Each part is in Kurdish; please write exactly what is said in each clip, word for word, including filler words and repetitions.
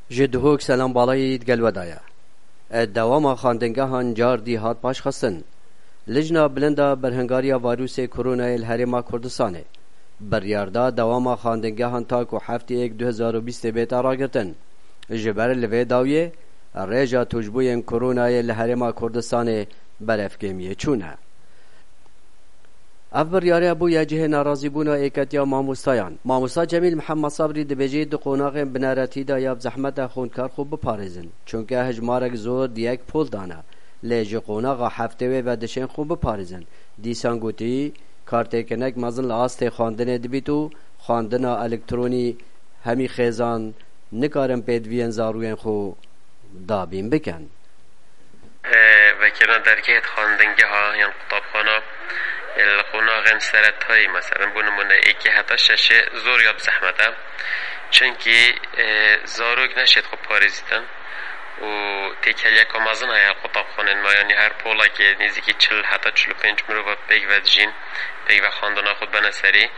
Ji Duhok selam balayî digel we daye. Dewama xwendingehan car dî hat paşxistin. Lijna Bilind a Berhingariya Vayrûsê Koronayê li Herêma Kurdistanê biryar da dewama xwendingehan ta ku heftê yek du hezar û bîstê bête ragirtin. Ji ber li vê dawiyê rêja tûşbûyên Koronayê li Herêma Kurdistanê berevkêmiyê çûne. Ev biryare bûye cihê nerazîbûna êketiya mamostayan. Mamosta Cemîl Mihemed Sabrî dibêje di qonaxên bineretî de ya bi zehmet e xwendkar xwe biparêzin. Çunke hejmarek zor di yek pol dane. Lê ji qonaxa heftê wê ve dişên xwe biparêzin. Dîsan gotî, kartêkinek mezin li astê xwendinê dibît û xwendina elektronî hemî xêzan nikarin pêdiviyên zarûyên xwe dabîn bikin. Vekirina dergehê xwendingeha yan qutabxana, e, li qonaxên seretayî, meselen, bo nimûne êkê heta şeşê zor ya bi zehmet e. Çunkî, e, zarok neşêt xwe parêzîtin û têkiliyeka mezin heye qutabxanên me, yanî her polekê nêzîkî çil heta çil û pênc mirov pêk ve dijîn, pêk ve xwendina xwe dibene serî.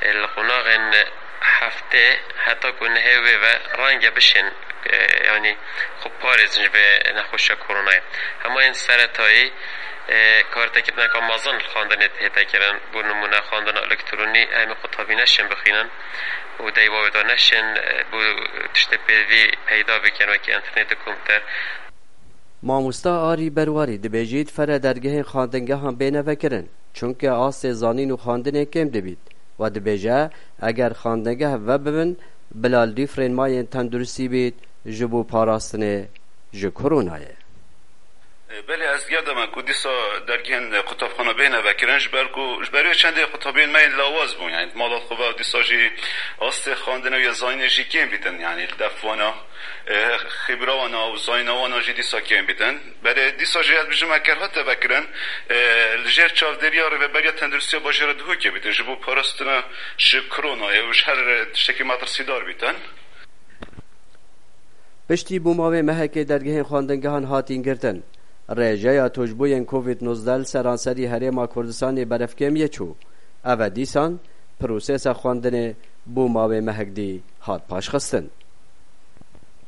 E, li qonaxên heftê heta ku nehê wê ve renge bişên, e, yanî xwe parêzin ji vê nexweşiya koronayê. Hema yên seretayî, e, kartekirneka mezin li xwendinê hête kirin. Bo nimûne xwendina elektronî, em ê qutabî neşên bixwînin û deywa wê de neşên, e, bo tiştê pêdivî peyda bikin, wekî înternet û komputer. Mamosta Arî Berwarî dibêjît fere dergehên xwendingehan bêne vekirin, çunke astê zanîn û xwendinê kêm dibît. We dibêje, eger xwendingeh vebibin, bila li dîfrên mayên tenduristî bît ji bo parastinê ji koronayê. E, belê, ez diger de me ku dîsa dergehên qutabxana bêne vekirin, ji ber ku, ji ber wê çendê qutabiyên me yên lawaz bûn, yanî di mala xwe ve û dîsa jî astê xwendinê û ya zanînê jî kêm bîtin, yanî li def wana, e, xibra wana û zanîna wana jî dîsa kêm bîtin. Belê, dîsa jî ez bijim eger hate vekirin, e, li jêr çavdêriya Rêveberiya Tenduristiya Bajêra Duhokê bîtin, ji bo parastina ji koronayê û ji her tiştekî metirsîdar bîtin. Piştî bûma wê mehekê dergehên xwendingehan hatîn girtin. Rêjeya tûşbûyên Covid nozdeh li seranserî Herêma Kurdistanê berevkêmiyê çû. Ev e dîsan prosesa xwendinê bûma wê mehek dî hat paşxistin.